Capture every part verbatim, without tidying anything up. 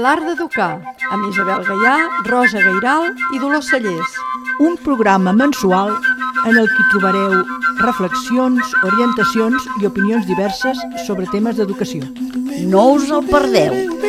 L'art d'educar, amb Isabel Gaià, Rosa Gairal i Dolors Sallés. Un programa mensual en el que trobareu reflexions, orientacions i opinions diverses sobre temes d'educació. No us el perdeu!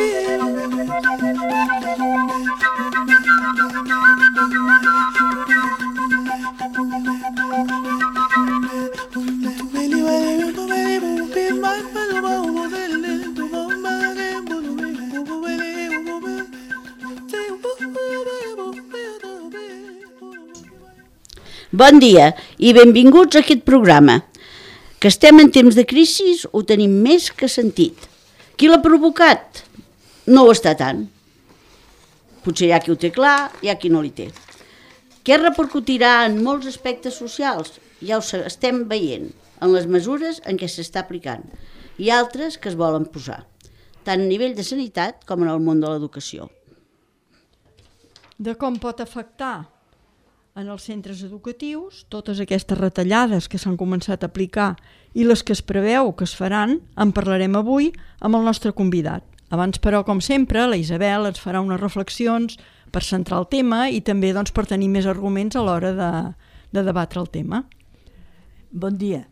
Bon dia i benvinguts a aquest programa. Que estem en temps de crisi ho tenim més que sentit. Qui l'ha provocat? No ho està tant. Potser hi ha qui ho té clar, hi ha qui no li té. Què repercutirà en molts aspectes socials? Ja ho estem veient en les mesures en què s'està aplicant i altres que es volen posar, tant a nivell de sanitat com en el món de l'educació. De com pot afectar en els centres educatius totes aquestes retallades que s'han començat a aplicar i les que es preveu que es faran, en parlarem avui amb el nostre convidat. Abans, però, com sempre, la Isabel ens farà unes reflexions per centrar el tema i també doncs, per tenir més arguments a l'hora de, de debatre el tema. Bon dia.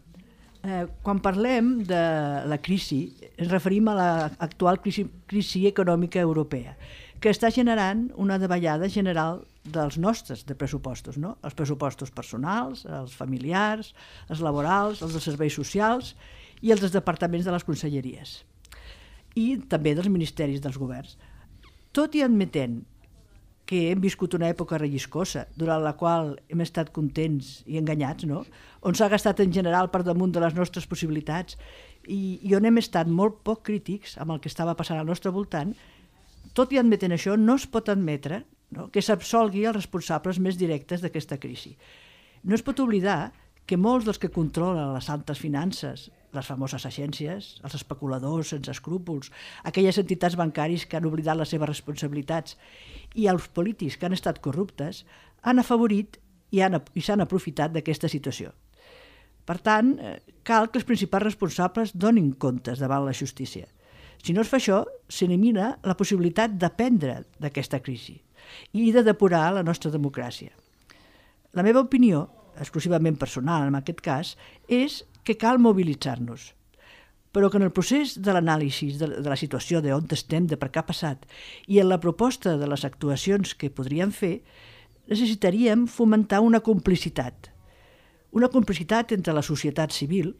Eh, quan parlem de la crisi, ens referim a l'actual crisi, crisi econòmica europea, que està generant una davallada general dels nostres de pressupostos, no? Els pressupostos personals, els familiars, els laborals, els dels serveis socials i els dels departaments de les conselleries i també dels ministeris dels governs. Tot i admetent que hem viscut una època relliscosa durant la qual hem estat contents i enganyats, no? On s'ha gastat en general per damunt de les nostres possibilitats i, i on hem estat molt poc crítics amb el que estava passant al nostre voltant, tot i admetent això, no es pot admetre no, que s'absolgui els responsables més directes d'aquesta crisi. No es pot oblidar que molts dels que controlen les altes finances, les famoses agències, els especuladors sense escrúpols, aquelles entitats bancàries que han oblidat les seves responsabilitats i els polítics que han estat corruptes, han afavorit i, han, i s'han aprofitat d'aquesta situació. Per tant, cal que els principals responsables donin comptes davant la justícia. Si no es fa això, s'elimina la possibilitat d'aprendre d'aquesta crisi i de depurar la nostra democràcia. La meva opinió, exclusivament personal en aquest cas, és que cal mobilitzar-nos, però que en el procés de l'anàlisi de, de la situació, d'on estem, de per què ha passat, i en la proposta de les actuacions que podríem fer, necessitaríem fomentar una complicitat. Una complicitat entre la societat civil,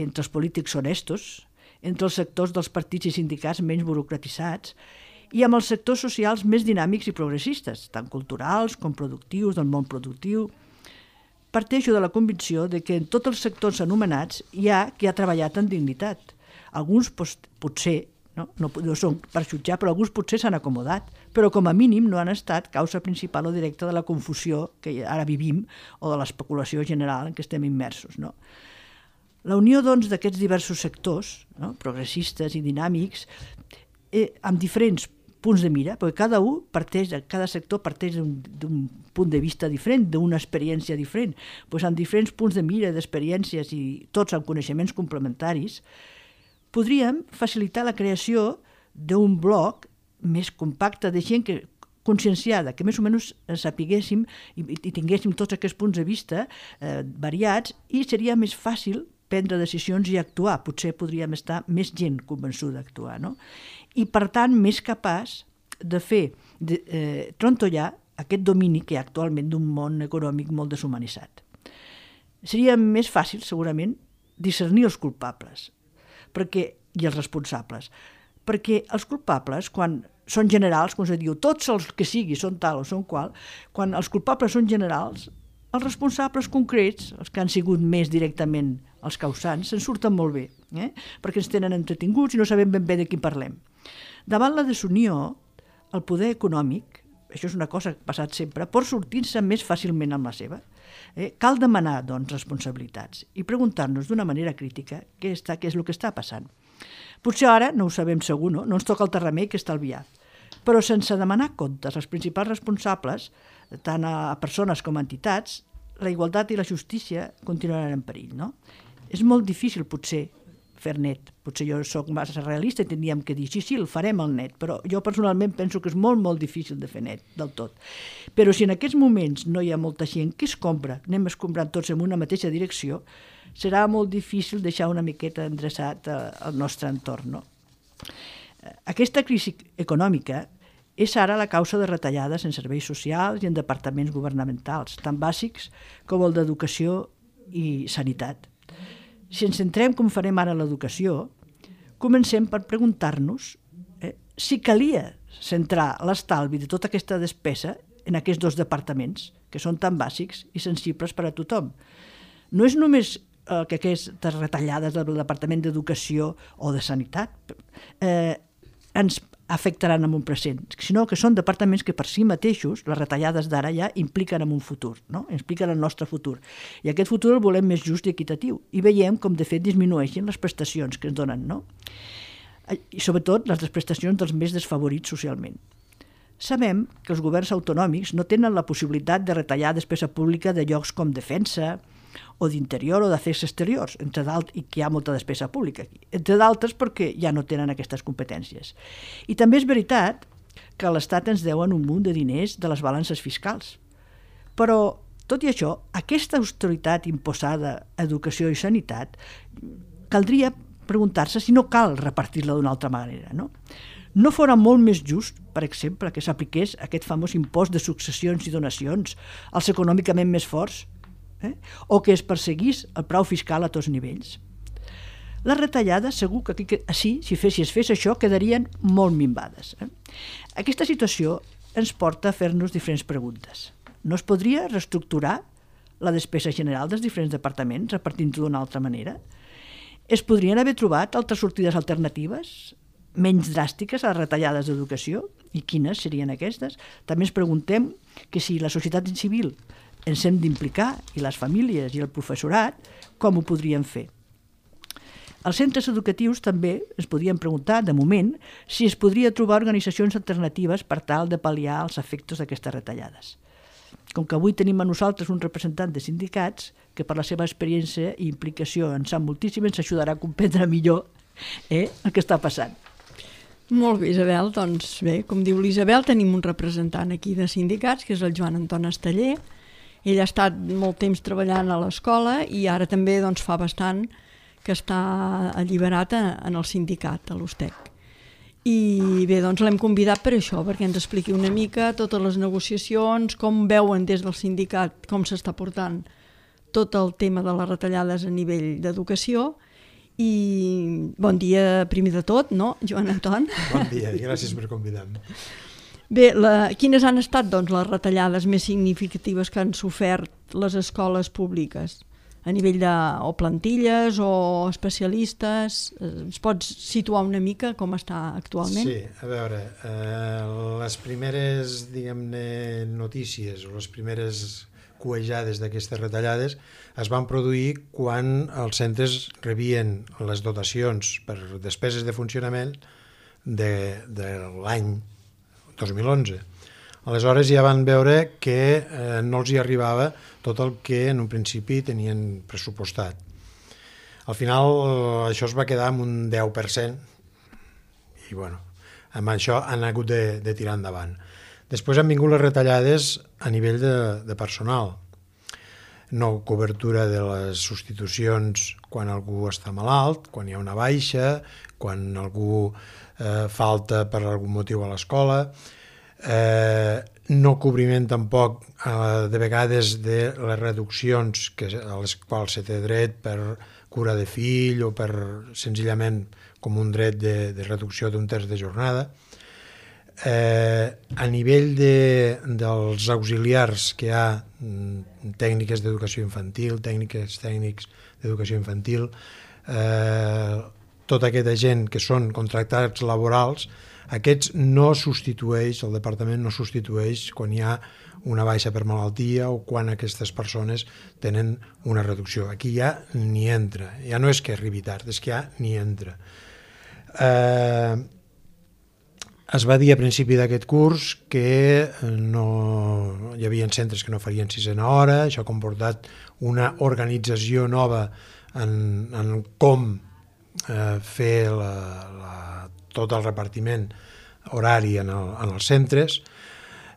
entre els polítics honestos, entre els sectors dels partits i sindicats menys burocratitzats i amb els sectors socials més dinàmics i progressistes, tant culturals com productius, del món productiu. Parteixo de la convicció de que en tots els sectors anomenats hi ha qui ha treballat en dignitat. Alguns potser, no, no, no són per jutjar, però alguns potser s'han acomodat, però com a mínim no han estat causa principal o directa de la confusió que ara vivim o de l'especulació general en què estem immersos, no? La unió, doncs, d'aquests diversos sectors, no, progressistes i dinàmics, eh, amb diferents punts de mira, perquè cada un parteix, cada sector parteix d'un punt de vista diferent, d'una experiència diferent, doncs amb diferents punts de mira, d'experiències i tots amb coneixements complementaris, podríem facilitar la creació d'un bloc més compacte de gent que conscienciada, que més o menys sapiguéssim i, i tinguéssim tots aquests punts de vista eh, variats i seria més fàcil prendre decisions i actuar. Potser podríem estar més gent convençuda d'actuar, no? I, per tant, més capaç de fer de, eh, trontollar aquest domini que hi ha actualment d'un món econòmic molt deshumanitzat. Seria més fàcil, segurament, discernir els culpables perquè, i els responsables, perquè els culpables, quan són generals, com se diu, tots els que sigui són tal o són qual, quan els culpables són generals, els responsables concrets, els que han sigut més directament els causants, se'n surten molt bé, eh? Perquè ens tenen entretinguts i no sabem ben bé de qui parlem. Davant la desunió, el poder econòmic, això és una cosa que ha passat sempre, pot sortir-se més fàcilment amb la seva. Eh? Cal demanar, doncs, responsabilitats i preguntar-nos d'una manera crítica què, està, què és el que està passant. Potser ara no ho sabem segur, no? No ens toca el remei que estalviar. Però sense demanar comptes als principals responsables, tant a persones com a entitats, la igualtat i la justícia continuaran en perill, no? És molt difícil, potser, fer net. Potser jo sóc massa realista i tindríem que dir, sí, sí, el farem el net, però jo personalment penso que és molt, molt difícil de fer net, del tot. Però si en aquests moments no hi ha molta gent que es compra, anem escombrant tots en una mateixa direcció, serà molt difícil deixar una miqueta endreçat al nostre entorn, no? Aquesta crisi econòmica és ara la causa de retallades en serveis socials i en departaments governamentals, tan bàsics com el d'educació i sanitat. Si ens centrem, com farem ara, en l'educació, comencem per preguntar-nos eh, si calia centrar l'estalvi de tota aquesta despesa en aquests dos departaments, que són tan bàsics i sensibles per a tothom. No és només eh, que aquestes retallades del Departament d'Educació o de Sanitat eh, ens afectaran en un present, sinó que són departaments que per si mateixos, les retallades d'ara ja impliquen en un futur, no? Impliquen el nostre futur. I aquest futur el volem més just i equitatiu. I veiem com de fet disminueixen les prestacions que ens donen, no? I sobretot les prestacions dels més desfavorits socialment. Sabem que els governs autonòmics no tenen la possibilitat de retallar despesa pública de llocs com defensa, o d'interior o d'afers exteriors, entre d'altres, i que hi ha molta despesa pública aquí, entre d'altres perquè ja no tenen aquestes competències. I també és veritat que l'Estat ens deuen un munt de diners de les balances fiscals. Però, tot i això, aquesta austeritat imposada a educació i sanitat, caldria preguntar-se si no cal repartir-la d'una altra manera, no? No fora molt més just, per exemple, que s'apliqués aquest famós impost de successions i donacions als econòmicament més forts, Eh? o que es perseguís el frau fiscal a tots nivells. Les retallades, segur que aquí, així, si, fes, si es fes això, quedarien molt minvades. Eh? Aquesta situació ens porta a fer-nos diferents preguntes. No es podria reestructurar la despesa general dels diferents departaments, repartint-ho d'una altra manera? Es podrien haver trobat altres sortides alternatives, menys dràstiques a les retallades d'educació? I quines serien aquestes? També ens preguntem que si la societat civil ens hem d'implicar, i les famílies i el professorat, com ho podrien fer. Els centres educatius també es podien preguntar, de moment, si es podria trobar organitzacions alternatives per tal de pal·liar els efectes d'aquestes retallades. Com que avui tenim a nosaltres un representant de sindicats que per la seva experiència i implicació en sap moltíssim, ens ajudarà a comprendre millor eh, el que està passant. Molt bé, Isabel. Doncs bé, com diu l'Isabel, tenim un representant aquí de sindicats, que és el Joan Anton Esteller. Ell ha estat molt temps treballant a l'escola i ara també doncs, fa bastant que està alliberat en el sindicat, a l'U S T E C. I bé, doncs l'hem convidat per això, perquè ens expliqui una mica totes les negociacions, com veuen des del sindicat, com s'està portant tot el tema de les retallades a nivell d'educació. I bon dia primer de tot, no, Joan Anton? Bon dia, gràcies per convidar-me. Bé, la, quines han estat doncs, les retallades més significatives que han sofert les escoles públiques? A nivell de o plantilles o especialistes? Ens pots situar una mica com està actualment? Sí, a veure, eh, les primeres, diguem-ne, notícies o les primeres cuejades d'aquestes retallades es van produir quan els centres rebien les dotacions per despeses de funcionament de, de l'any dos mil onze. Aleshores ja van veure que eh, no els hi arribava tot el que en un principi tenien pressupostat. Al final eh, això es va quedar amb un deu per cent i bueno, amb això han hagut de, de tirar endavant. Després han vingut les retallades a nivell de, de personal. No cobertura de les substitucions quan algú està malalt, quan hi ha una baixa, quan algú eh, falta per algun motiu a l'escola, eh, no cobriment tampoc eh, de vegades de les reduccions que, a les quals se té dret per cura de fill o per senzillament com un dret de, de reducció d'un terç de jornada. Eh, a nivell de, dels auxiliars que hi ha, tècniques d'educació infantil, tècniques tècnics d'educació infantil, eh, tota aquesta gent que són contractats laborals, aquests no substitueix, el departament no substitueix quan hi ha una baixa per malaltia o quan aquestes persones tenen una reducció. Aquí ja ni entra, ja no és que arribi tard, és que ja ni entra. Eh, Es va dir a principi d'aquest curs que no, hi havia centres que no farien sisena hora, això ha comportat una organització nova en, en com eh, fer la, la, tot el repartiment horari en, el, en els centres.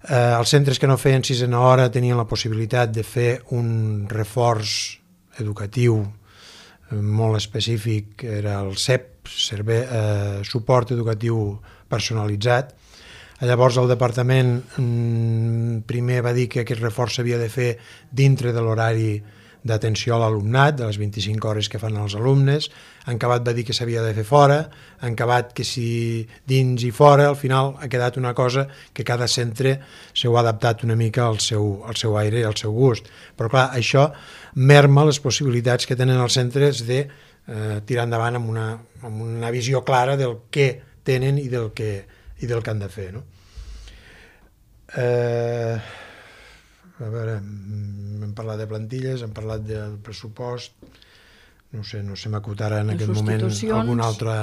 Eh, els centres que no feien sisena hora tenien la possibilitat de fer un reforç educatiu eh, molt específic, era el C E P, serve, eh, suport educatiu personalitzat. Llavors el departament mm, primer va dir que aquest reforç s'havia de fer dintre de l'horari d'atenció a l'alumnat, de les vint-i-cinc hores que fan els alumnes. En Cabat va dir que s'havia de fer fora, en Cabat que si dins i fora, al final ha quedat una cosa que cada centre s'ho ha adaptat una mica al seu, al seu aire i al seu gust. Però clar, això merma les possibilitats que tenen els centres de eh, tirar endavant amb una, amb una visió clara del què tenen i del que, i del que han de fer, no? Eh, a veure, hem parlat de plantilles, hem parlat del pressupost, no sé, no se m'acut ara en Les aquest moment substitucions. alguna altra...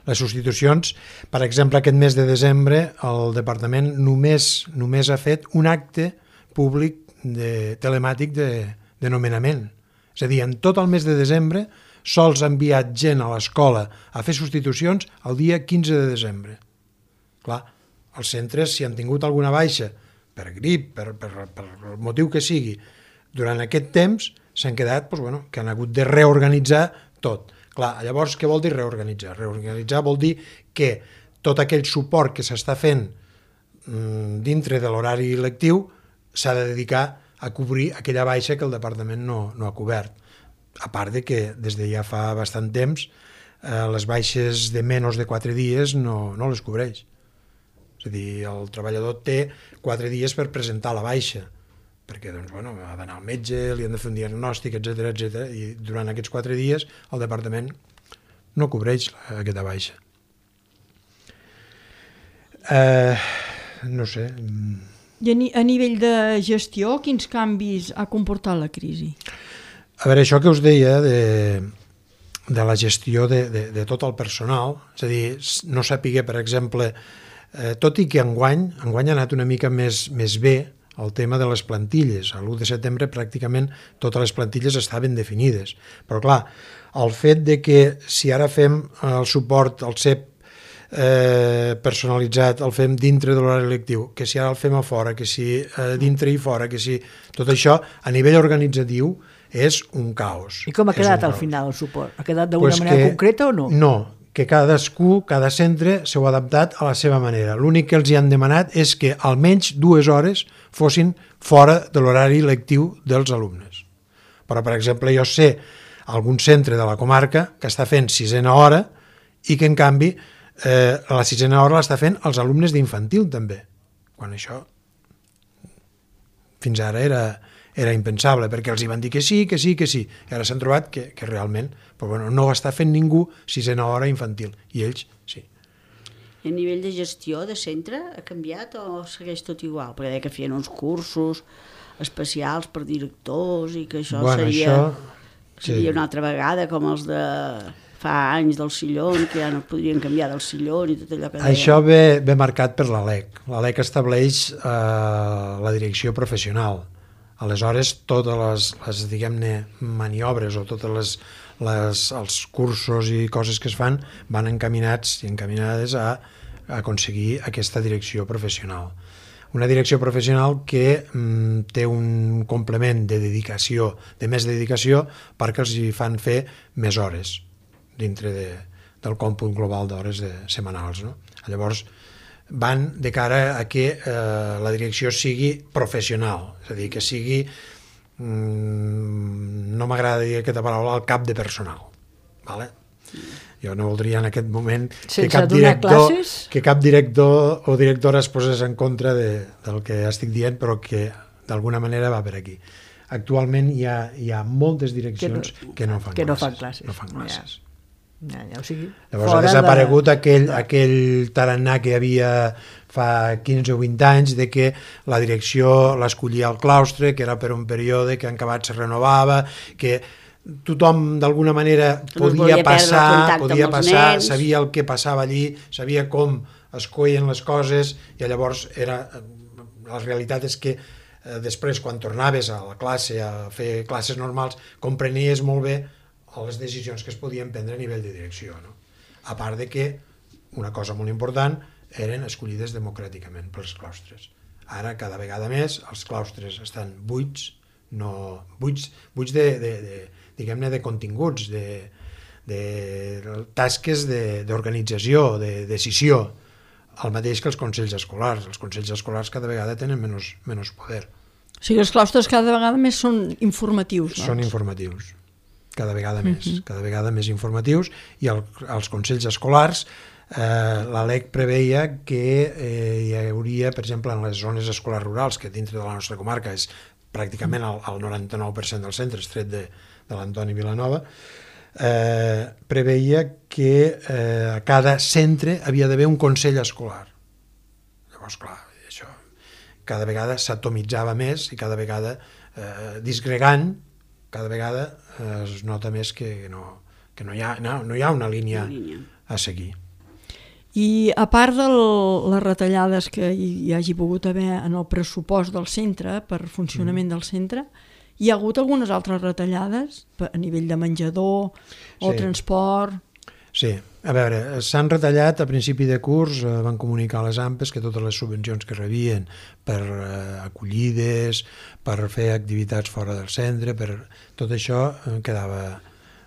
Les substitucions, per exemple, aquest mes de desembre el departament només, només ha fet un acte públic de, telemàtic de, de nomenament. És a dir, en tot el mes de desembre sols ha enviat gent a l'escola a fer substitucions el dia quinze de desembre. Clar, els centres, si han tingut alguna baixa per grip, per, per, per el motiu que sigui, durant aquest temps s'han quedat, doncs, bueno, que han hagut de reorganitzar tot. Clar, llavors, què vol dir reorganitzar? Reorganitzar vol dir que tot aquell suport que s'està fent mmm, dintre de l'horari lectiu s'ha de dedicar a cobrir aquella baixa que el departament no, no ha cobert. A part de que des de ja fa bastant temps eh, les baixes de menys de quatre dies no, no les cobreix. És a dir, el treballador té quatre dies per presentar la baixa, perquè doncs, bueno, ha d'anar al metge, li han de fer un diagnòstic, etcètera, etcètera, i durant aquests quatre dies el departament no cobreix aquesta baixa. Eh, no sé. I a, ni a nivell de gestió, quins canvis ha comportat la crisi? A veure, això que us deia de, de la gestió de, de, de tot el personal, és a dir, no sapigué, per exemple, eh, tot i que enguany, enguany ha anat una mica més, més bé el tema de les plantilles. A l'u de setembre pràcticament totes les plantilles estaven definides. Però clar, el fet de que si ara fem el suport al C E P eh, personalitzat, el fem dintre de l'horari lectiu, que si ara el fem a fora, que si eh, dintre i fora, que si... Tot això, a nivell organitzatiu, és un caos. I com ha quedat al caos. final el suport? Ha quedat d'alguna pues manera que, concreta o no? No, que cadascú, cada centre s'ho ha adaptat a la seva manera. L'únic que els hi han demanat és que almenys dues hores fossin fora de l'horari lectiu dels alumnes. Però, per exemple, jo sé algun centre de la comarca que està fent sisena hora i que, en canvi, eh, la sisena hora l'està fent els alumnes d'infantil, també. Quan això fins ara era, era impensable, perquè els hi van dir que sí, que sí, que sí. I ara s'han trobat que, que realment però, bueno, no ho està fent ningú sisena hora infantil, i ells sí. I a nivell de gestió de centre ha canviat o segueix tot igual? Perquè deia que feien uns cursos especials per directors i que això bueno, seria, això, seria sí. una altra vegada com els de fa anys del sillón, que ja no podrien canviar del sillón i tot allò que deia. Això ve, ve marcat per l'A L E C. L'A L E C estableix eh, la direcció professional. Aleshores, totes les, les diguem-ne, maniobres o totes les, les, els cursos i coses que es fan van encaminats i encaminades a, a aconseguir aquesta direcció professional. Una direcció professional que mm, té un complement de dedicació, de més dedicació, perquè els hi fan fer més hores dintre de, del còmput global d'hores de, setmanals. No? Llavors, van de cara a que eh, la direcció sigui professional, és a dir, que sigui, mm, no m'agrada dir aquesta paraula, el cap de personal. Vale? Jo no voldria en aquest moment que cap, director, que cap director o directora es posés en contra de, del que estic dient, però que d'alguna manera va per aquí. Actualment hi ha, hi ha moltes direccions que no, que no fan que classes. no fan classes. No fan classes. Ja. Ja, ja, o sigui, Llavors ha desaparegut de... aquell, aquell tarannà que hi havia fa quinze o vint anys de que la direcció l'escollia al claustre, que era per un període que en acabat se renovava, que tothom d'alguna manera podia passar, podia passar, sabia el que passava allí, sabia com es coien les coses, i llavors era, la realitat és que eh, després quan tornaves a la classe a fer classes normals comprenies molt bé a les decisions que es podien prendre a nivell de direcció, no? A part de que una cosa molt important eren escollides democràticament pels claustres. Ara, cada vegada més, els claustres estan buits, no, buits, buits de, de, de, diguem-ne, de continguts, de, de tasques d'organització, de, de decisió, el mateix que els consells escolars. Els consells escolars cada vegada tenen menys, menys poder. O sigui, els claustres cada vegada més són informatius, doncs. Són informatius, cada vegada més, uh-huh. cada vegada més informatius, i el, els consells escolars, eh, la L E C preveia que eh, hi hauria, per exemple, en les zones escolars rurals, que dintre de la nostra comarca és pràcticament el, el noranta-nou per cent dels centres, tret de, de l'Antoni Vilanova, eh, preveia que eh, a cada centre havia d'haver un consell escolar. Llavors, clar, això cada vegada s'atomitzava més i cada vegada eh, disgregant, cada vegada eh, es nota més que no, que no, hi ha, no, no hi ha una línia, una línia a seguir. I a part de les retallades que hi hagi pogut haver en el pressupost del centre, per funcionament mm. del centre, hi ha hagut algunes altres retallades a nivell de menjador o sí. transport? Sí, a veure, s'han retallat a principi de curs, eh, van comunicar a les A M P E S que totes les subvencions que rebien per eh, acollides, per fer activitats fora del centre, per tot això eh, quedava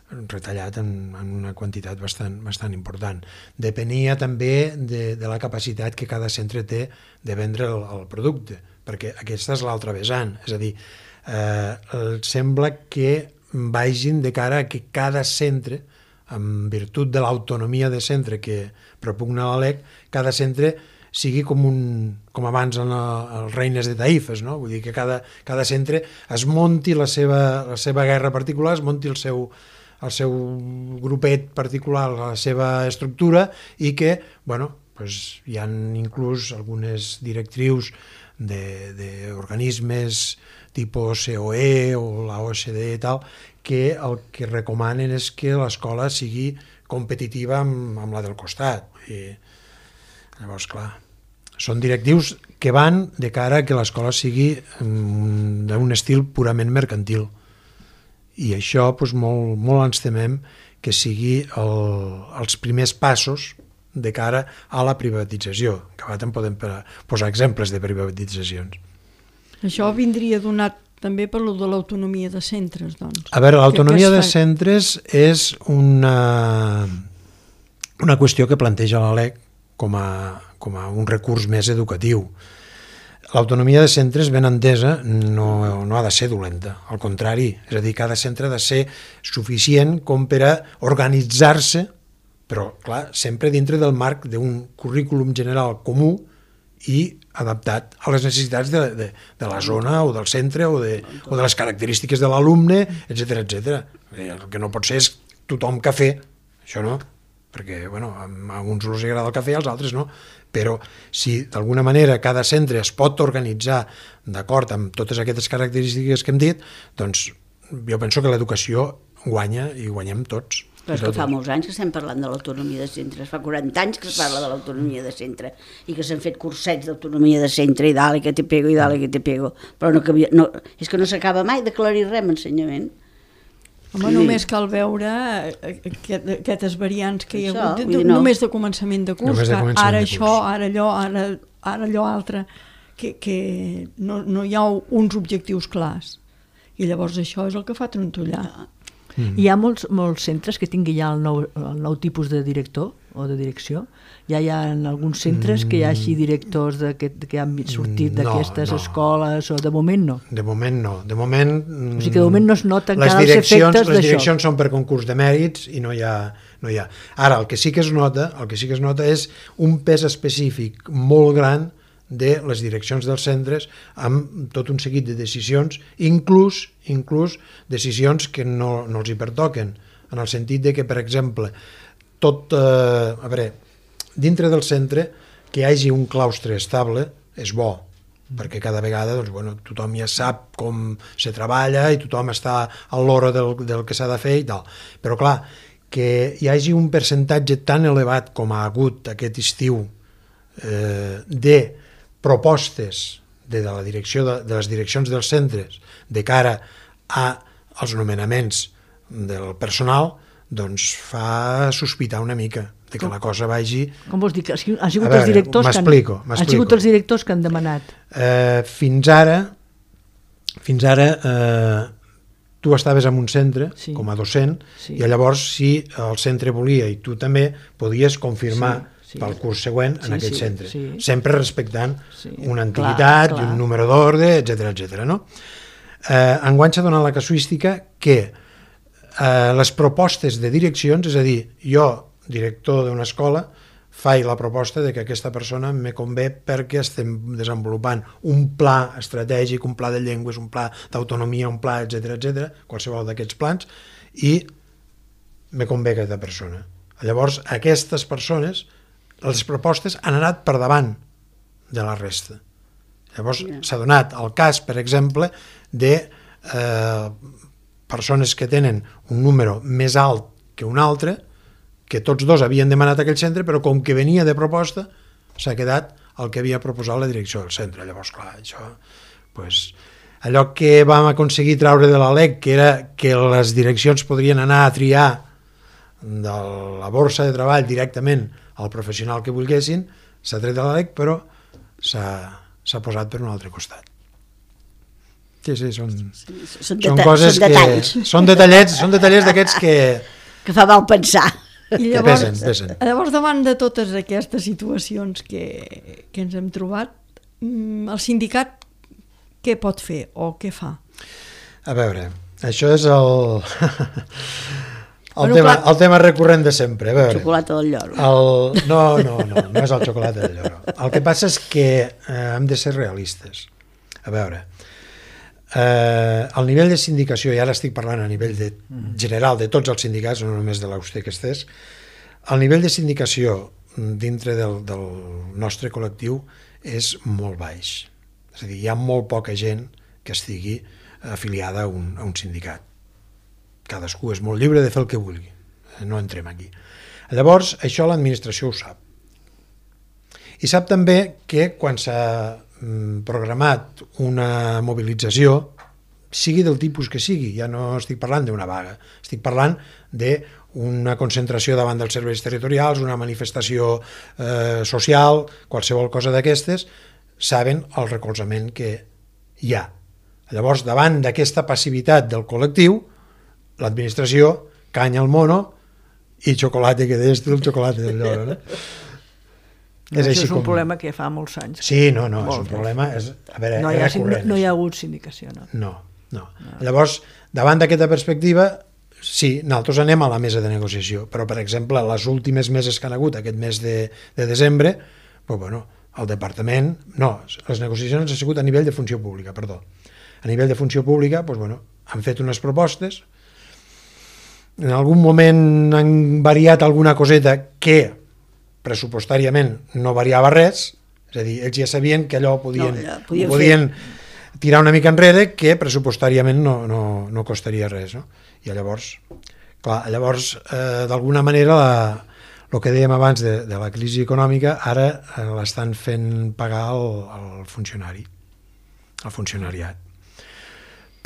retallat en, en una quantitat bastant, bastant important. Depenia també de, de la capacitat que cada centre té de vendre el, el producte, perquè aquesta és l'altra vessant, és a dir, eh, sembla que vagin de cara a que cada centre, en virtut de l'autonomia de centre que propugna la L E C, cada centre sigui com, un, com abans en els reines de Taifes, no? Vull dir que cada, cada centre es munti la seva, la seva guerra particular, es munti el seu, el seu grupet particular, la seva estructura, i que, bueno, pues, hi ha inclús algunes directrius d'organismes tipus C O E o la O C D e i tal, que el que recomanen és que l'escola sigui competitiva amb, amb la del costat. I, llavors, clar, són directius que van de cara a que l'escola sigui um, d'un estil purament mercantil. I això doncs, molt, molt ens temem que sigui el, els primers passos de cara a la privatització, que ara en podem posar exemples de privatitzacions. Això vindria donat també per lo de l'autonomia de centres, doncs. A veure, l'autonomia de centres és una, una qüestió que planteja la L E C com a, com a un recurs més educatiu. L'autonomia de centres, ben entesa, no, no ha de ser dolenta, al contrari, és a dir, cada centre ha de ser suficient com per a organitzar-se, però, clar, sempre dintre del marc d'un currículum general comú i adaptat a les necessitats de, de, de la zona o del centre o de, o de les característiques de l'alumne, etcètera, etcètera. El que no pot ser és tothom cafè, això no, perquè bueno, a alguns els agrada el cafè, als altres no, però si d'alguna manera cada centre es pot organitzar d'acord amb totes aquestes característiques que hem dit, doncs jo penso que l'educació guanya i guanyem tots. Però és que fa molts anys que estem parlant de l'autonomia de centres, fa quaranta anys que es parla de l'autonomia de centre i que s'han fet cursets d'autonomia de centre i dale que te pego i dale que te pego, però no, no, és que no s'acaba mai d'aclarir res amb ensenyament. Home, només cal veure aquest, aquestes variants que hi ha això, hagut, de, de, no. només de començament de curs, de començament ara de això, curs. ara allò, ara, ara allò altre, que, que no, no hi ha uns objectius clars. I llavors això és el que fa trontollar. Mm. Hi ha molts, molts centres que tinguin ja el nou, el nou tipus de director o de direcció. Ja hi ha en alguns centres que hi hagi directors de, que, que han sortit no, d'aquestes no. escoles, o de moment no? De moment no. De moment, o sigui que de moment no es noten encara els efectes d'això. Les direccions són per concurs de mèrits i no hi, ha, no hi ha. Ara, el que sí que es nota, el que sí que es nota és un pes específic molt gran de les direccions dels centres amb tot un seguit de decisions, inclús, inclús decisions que no, no els hi pertoquen, en el sentit de que, per exemple, tot, eh, a veure, dintre del centre, que hi hagi un claustre estable és bo, perquè cada vegada doncs, bueno, tothom ja sap com se treballa i tothom està a l'hora del, del que s'ha de fer i tal. Però clar, que hi hagi un percentatge tan elevat com ha hagut aquest estiu eh, de propostes de, de, la direcció de, de les direccions dels centres de cara als nomenaments del personal, doncs fa sospitar una mica de que la cosa vagi... Com vols dir? Que han sigut veure, els directors que han, han sigut els directors que han demanat? Eh, fins ara, fins ara eh, tu estaves en un centre sí. com a docent sí. i llavors si el centre volia i tu també podies confirmar sí, sí. pel curs següent en sí, aquell sí, centre, sí. sempre respectant sí. una antiguitat, clar, clar. un número d'ordre, etcètera, etcètera, no? Eh, enguany s'ha donat la casuística que eh, les propostes de direccions, és a dir, jo director d'una escola, faig la proposta de que aquesta persona me convé perquè estem desenvolupant un pla estratègic, un pla de llengües, un pla d'autonomia, un pla, etcètera, etcètera, qualsevol d'aquests plans, i me convé aquesta persona. Llavors, aquestes persones, les propostes han anat per davant de la resta. Llavors, yeah. s'ha donat el cas, per exemple, de eh, persones que tenen un número més alt que un altre, que tots dos havien demanat aquell centre, però com que venia de proposta, s'ha quedat el que havia proposat la direcció del centre. Llavors, clar, això... Pues, allò que vam aconseguir traure de la L E C, que era que les direccions podrien anar a triar de la borsa de treball directament al professional que volguessin, s'ha tret de la L E C, però s'ha posat per un altre costat. Sí, sí, són, sí, són, són coses són detalls. que... Són detallets, són detallets d'aquests que... Que fa mal pensar. I llavors, pesen, pesen. llavors, davant de totes aquestes situacions que, que ens hem trobat, el sindicat què pot fer o què fa? A veure, això és el, el, bueno, tema, clar, el tema recurrent de sempre. A veure, el xocolata del lloro. El, no, no, no, no és el xocolata del lloro. El que passa és que eh, hem de ser realistes. A veure, eh, el nivell de sindicació, i ara estic parlant a nivell de, general de tots els sindicats, no només de l'A U S T E que estés, el nivell de sindicació dintre del, del nostre col·lectiu és molt baix. És a dir, hi ha molt poca gent que estigui afiliada a un, a un sindicat. Cadascú és molt lliure de fer el que vulgui. No entrem aquí. Llavors, això l'administració ho sap. I sap també que quan s'ha programat una mobilització, sigui del tipus que sigui, ja no estic parlant d'una vaga, estic parlant d'una concentració davant dels serveis territorials, una manifestació eh, social, qualsevol cosa d'aquestes, saben el recolzament que hi ha. Llavors, davant d'aquesta passivitat del col·lectiu, l'administració canya el mono i xocolata, que deies tu, el xocolata del lloro, no? No, és, això és un com... problema que fa molts anys. Sí, no, no, és un problema... És, a veure, no, hi ha, recurrent, no, no hi ha hagut sindicació, no. No, no. no. Llavors, davant d'aquesta perspectiva, sí, nosaltres anem a la mesa de negociació, però, per exemple, les últimes meses que han hagut, aquest mes de, de desembre, pues, bueno, el departament... No, les negociacions han sigut a nivell de funció pública, perdó. A nivell de funció pública, pues, bueno, han fet unes propostes, en algun moment han variat alguna coseta que pressupostàriament no variava res, és a dir, ells ja sabien que allò podien, no, ja podien, podien tirar una mica enrere, que pressupostàriament no, no, no costaria res, no? I llavors, clar, llavors eh, d'alguna manera la, el que dèiem abans de, de la crisi econòmica ara eh, l'estan fent pagar el, el funcionari, el funcionariat,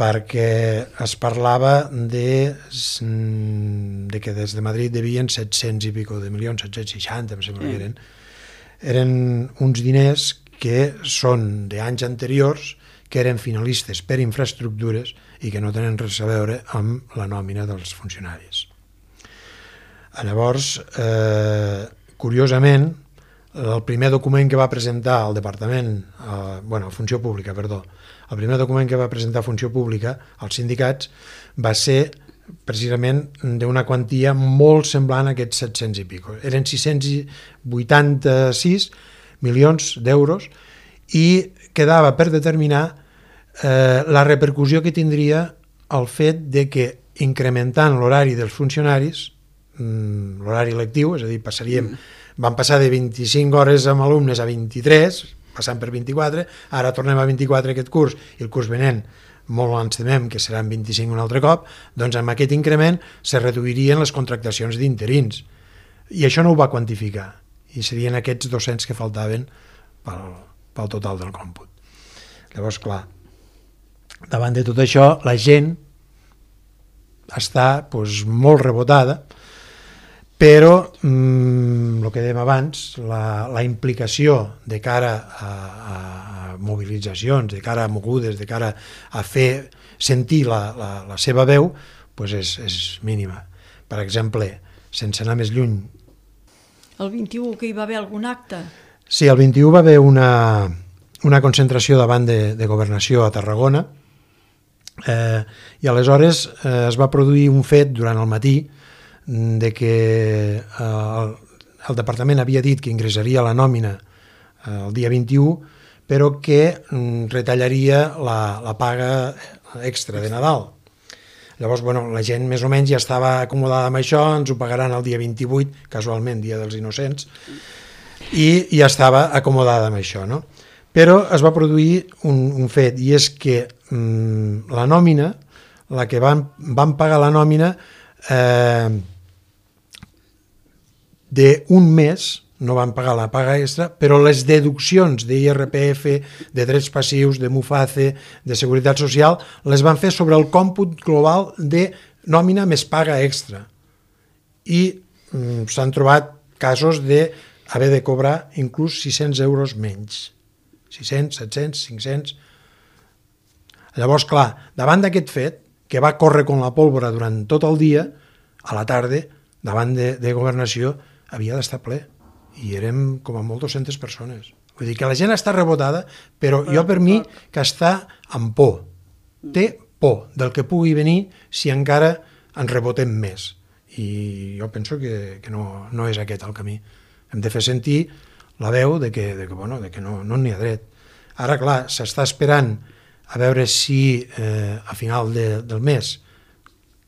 perquè es parlava de, de que des de Madrid devien set-cents i pico de milions, set-cents seixanta, em sembla que eren. Eren uns diners que són d'anys anteriors, que eren finalistes per infraestructures i que no tenen res a veure amb la nòmina dels funcionaris. Llavors, eh, curiosament, el primer document que va presentar el Departament, eh, bueno, Funció Pública, perdó, el primer document que va presentar Funció Pública als sindicats va ser precisament d'una quantia molt semblant a aquests set-cents i pico. Eren sis-cents vuitanta-sis milions d'euros i quedava per determinar eh, la repercussió que tindria el fet de que incrementant l'horari dels funcionaris, l'horari lectiu, és a dir, passaríem, van passar de vint-i-cinc hores amb alumnes a vint-i-tres, passant per vint-i-quatre, ara tornem a vint-i-quatre aquest curs i el curs venent molt ens temem que seran vint-i-cinc un altre cop, doncs amb aquest increment se reduirien les contractacions d'interins i això no ho va quantificar i serien aquests dos-cents que faltaven pel, pel total del còmput. Llavors, clar, davant de tot això, la gent està pues, molt rebotada, però el que dèiem abans, la, la implicació de cara a, a, a mobilitzacions, de cara a mogudes, de cara a fer sentir la, la, la seva veu, pues és, és mínima. Per exemple, sense anar més lluny. El vint-i-u que hi va haver algun acte? Sí, el vint-i-u va haver una, una concentració davant de, de Governació a Tarragona, eh, i aleshores eh, es va produir un fet durant el matí de que el, el departament havia dit que ingressaria la nòmina el dia vint-i-u, però que retallaria la, la paga extra de Nadal. Llavors, bueno, la gent més o menys ja estava acomodada amb això, ens ho pagaran el dia vint-i-vuit, casualment, dia dels innocents, i ja estava acomodada amb això, no? Però es va produir un, un fet, i és que mmm, la nòmina, la que van, van pagar la nòmina, eh, d'un mes, no van pagar la paga extra, però les deduccions d'I R P F, de drets passius, de MUFACE, de Seguretat Social, les van fer sobre el còmput global de nòmina més paga extra. I mm, s'han trobat casos d'haver de cobrar inclús sis-cents euros menys. sis-cents, set-cents, cinc-cents... Llavors, clar, davant d'aquest fet, que va córrer com la pólvora durant tot el dia, a la tarda, davant de, de Governació, havia d'estar ple. I érem com a molt dues-centes persones. Vull dir que la gent està rebotada, però jo per mi que està amb por. Té por del que pugui venir si encara ens rebotem més. I jo penso que, que no, no és aquest el camí. Hem de fer sentir la veu de que, de que, bueno, de que no n'hi no ha dret. Ara, clar, s'està esperant a veure si eh, a final de, del mes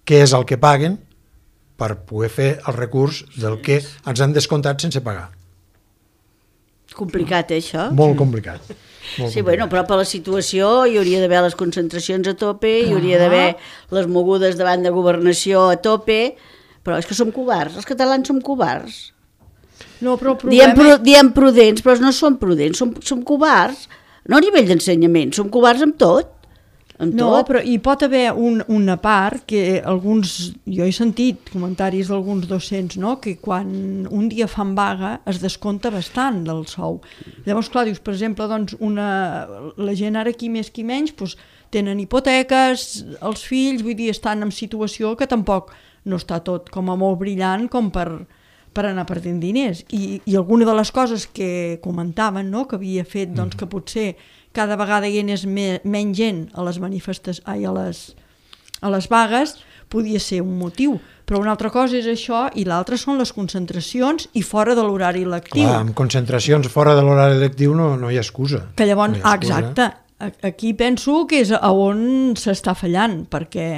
què és el que paguen per poder fer el recurs del que ens han descomptat sense pagar. Complicat, eh, això? Molt complicat. Molt sí, complicat. bueno, però per la situació hi hauria d'haver les concentracions a tope, hi hauria d'haver les mogudes davant de Governació a tope, però és que som covards, els catalans som covards. No, però el Diem, problema... pru diem prudents, però no som prudents, som, som covards. No a nivell d'ensenyament, som covards amb tot. Amb No, tot. però hi pot haver un, una part que alguns, jo he sentit comentaris d'alguns docents, no?, que quan un dia fan vaga es descompta bastant del sou. Llavors, clar, dius, per exemple, doncs una, la gent ara qui més qui menys doncs, tenen hipoteques, els fills, vull dir, estan en situació que tampoc no està tot com a molt brillant com per, per anar perdent diners. I, i alguna de les coses que comentaven, no?, que havia fet doncs, que potser cada vegada hi anés me, menys gent a les manifestacions, ai, a les, a les vagues, podia ser un motiu. Però una altra cosa és això i l'altra són les concentracions i fora de l'horari lectiu. Clar, amb concentracions fora de l'horari lectiu no, no hi ha excusa. Que llavors, no ah, exacte, aquí penso que és a on s'està fallant, perquè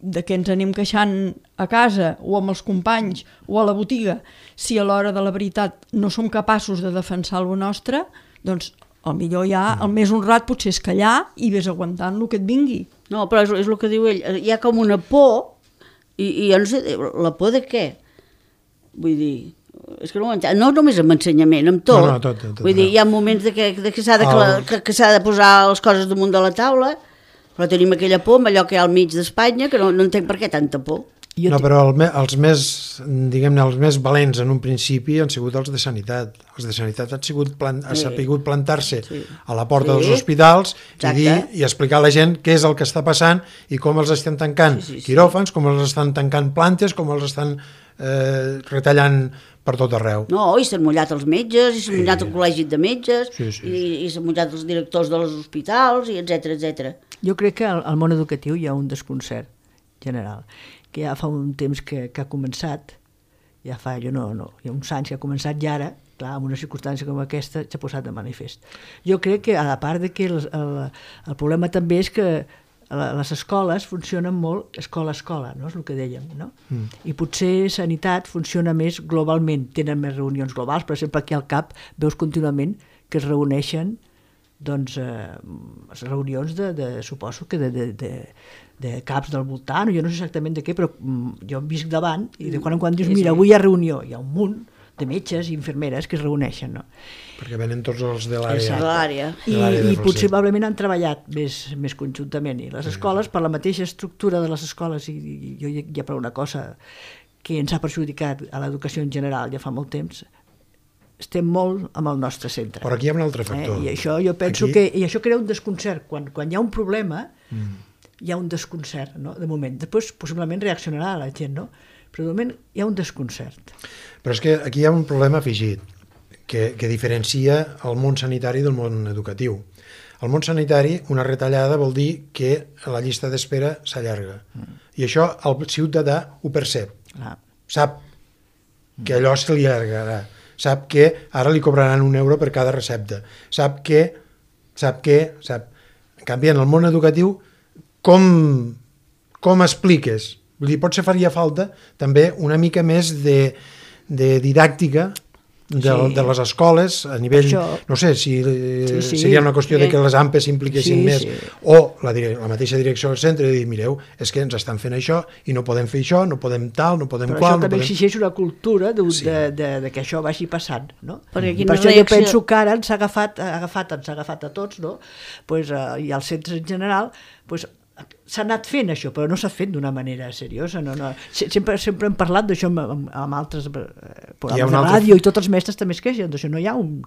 de què ens anem queixant a casa o amb els companys o a la botiga, si a l'hora de la veritat no som capaços de defensar el nostre, doncs el millor ja, el més honrat potser és callar i ves aguantant el que et vingui. No, però és, és el que diu ell, hi ha com una por, i, i jo no sé, la por de què? Vull dir, és que no ho entenc, no només amb ensenyament, amb tot. No, no, tot, tot, Vull dir, no. hi ha moments de que, de que s'ha de, El... que, que s'ha de posar les coses damunt de la taula, però tenim aquella por amb allò que hi ha al mig d'Espanya, que no, no entenc per què tanta por. Jo No, però el, me- els més, diguem-ne, els més valents en un principi han sigut els de sanitat. Els de sanitat han, sigut plan, han Sí. sapigut plantar-se Sí. a la porta Sí. dels hospitals i, Exacte. dir, i explicar a la gent què és el que està passant i com els estan tancant Sí, sí, sí. quiròfans, com els estan tancant plantes, com els estan eh, retallant per tot arreu. No, i s'han mullat els metges, i s'han mullat el col·legi de metges, Sí, sí, i, i s'han mullat els directors dels hospitals, i etcètera, etcètera. Jo crec que al, al món educatiu hi ha un desconcert general, que ja fa un temps que, que ha començat, ja fa, jo no, no, hi ha uns anys que ha començat i ara, clar, en una circumstància com aquesta, s'ha posat de manifest. Jo crec que, a part de que el, el, el problema també és que la- les escoles funcionen molt escola-escola, no? És el que dèiem, no? Mm. I potser sanitat funciona més globalment, tenen més reunions globals, per exemple, aquí al C A P veus contínuament que es reuneixen doncs, eh, reunions de, de, suposo que de, de, de, de caps del voltant, jo no sé exactament de què, però mm, jo em visc davant i de quan en quan dius, mira, avui hi ha reunió, hi ha un munt de metges i infermeres que es reuneixen, no? Perquè venen tots els de Exacte. l'àrea. l'àrea. I, de l'àrea de i Falset. possiblement han treballat més, més conjuntament. I les escoles, per la mateixa estructura de les escoles, i, i jo ja, ja per una cosa que ens ha perjudicat a l'educació en general ja fa molt temps, estem molt amb el nostre centre. Però aquí hi ha un altre factor. Eh? I això jo penso Aquí- que i això crea un desconcert. Quan, quan hi ha un problema, Mm. hi ha un desconcert, no? De moment. Després, possiblement, reaccionarà la gent, no? Però de moment hi ha un desconcert. Però és que aquí hi ha un problema afegit que, que diferencia el món sanitari del món educatiu. Al món sanitari, una retallada vol dir que la llista d'espera s'allarga. Mm. I això el ciutadà ho percep. Clar. Sap que allò se li allargarà. Sap que ara li cobraran un euro per cada recepta. Sap que... Sap que... Sap... En canvi, en el món educatiu, com, com expliques? Vull dir, potser faria falta també una mica més de, de didàctica de, Sí. de les escoles a nivell, Això- no sé, si Sí, sí. seria una qüestió de Sí. que les A M P s'impliquessin Sí, més, sí. o la, dire- la mateixa direcció del centre de dir, mireu, és que ens estan fent això i no podem fer això, no podem tal, no podem Però qual, això no també podem... exigeix una cultura de, Sí. de, de, de que això vagi passant, no? Perquè I quina per això reacció- jo penso que ara ens ha agafat, ha agafat, ens ha agafat a tots, no? Pues, uh, i als centres en general, pues, s'ha anat fent això, però no s'ha fet d'una manera seriosa. No, no. Se- Sempre, sempre hem parlat d'això amb, amb, amb altres eh, programes un de altre- ràdio i tots els mestres també es queixen d'això. No hi ha un,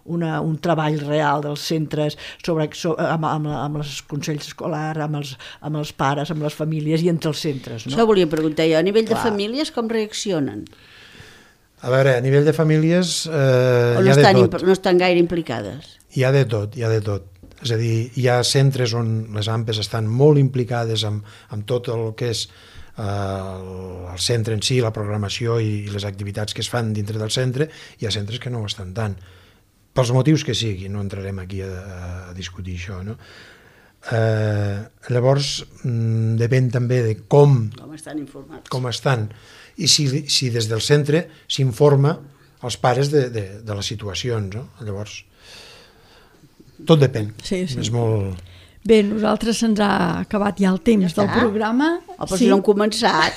una, un treball real dels centres sobre, sobre, amb, amb, amb els consells escolars, amb els, amb els pares, amb les famílies i entre els centres. No? Això volia preguntar jo. A nivell de Clar. famílies, com reaccionen? A veure, a nivell de famílies eh, O no hi ha de estan, tot. imp- no estan gaire implicades? Hi ha de tot, hi ha de tot. És a dir, hi ha centres on les A M Pes estan molt implicades amb, amb tot el que és eh, el, el centre en si, la programació i, i les activitats que es fan dintre del centre. Hi ha centres que no ho estan tant. Pels motius que sigui, no entrarem aquí a, a discutir això, no? Eh, llavors, mm, depèn també de com, Com estan informats? com estan i si, si des del centre s'informa als pares de, de, de les situacions, no? Llavors, tot depèn. Sí, sí. És molt... Bé, nosaltres se'ns ha acabat ja el temps Ja del està? programa. Oh, però si no han començat.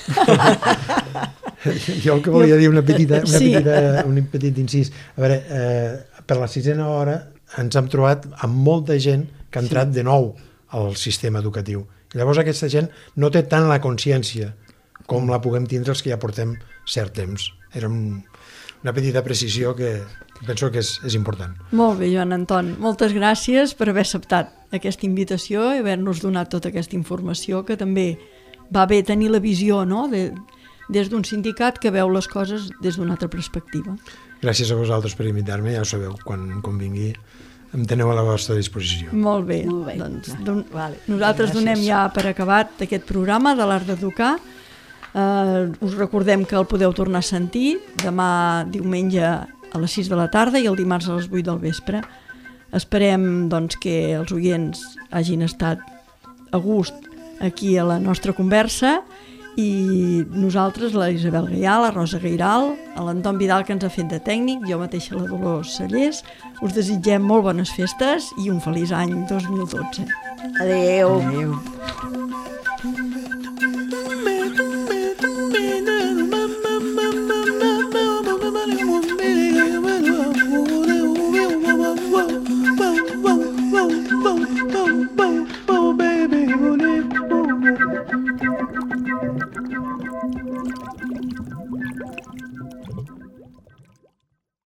Jo el que volia dir una petita, una Sí. petita, un petit incís. A veure, eh, per la sisena hora ens hem trobat amb molta gent que ha entrat de nou al sistema educatiu. I llavors aquesta gent no té tant la consciència com la puguem tindre els que ja portem cert temps. Era un, una petita precisió que penso que és, és important. Molt bé, Joan Anton. Moltes gràcies per haver acceptat aquesta invitació i haver-nos donat tota aquesta informació, que també va bé tenir la visió, no?, de, des d'un sindicat que veu les coses des d'una altra perspectiva. Gràcies a vosaltres per invitar-me, ja ho sabeu, quan convingui em teniu a la vostra disposició. Molt bé. Molt bé. Doncs, don, Vale. nosaltres Gràcies. donem ja per acabat aquest programa de l'Art d'Educar. Eh, us recordem que el podeu tornar a sentir demà diumenge a les sis de la tarda i el dimarts a les vuit del vespre. Esperem doncs, que els oients hagin estat a gust aquí a la nostra conversa i nosaltres, la Isabel Gaià, la Rosa Gairal, l'Anton Vidal, que ens ha fet de tècnic, jo mateixa la Dolors Sallés, us desitgem molt bones festes i un feliç any dos mil dotze. Adéu. Adéu.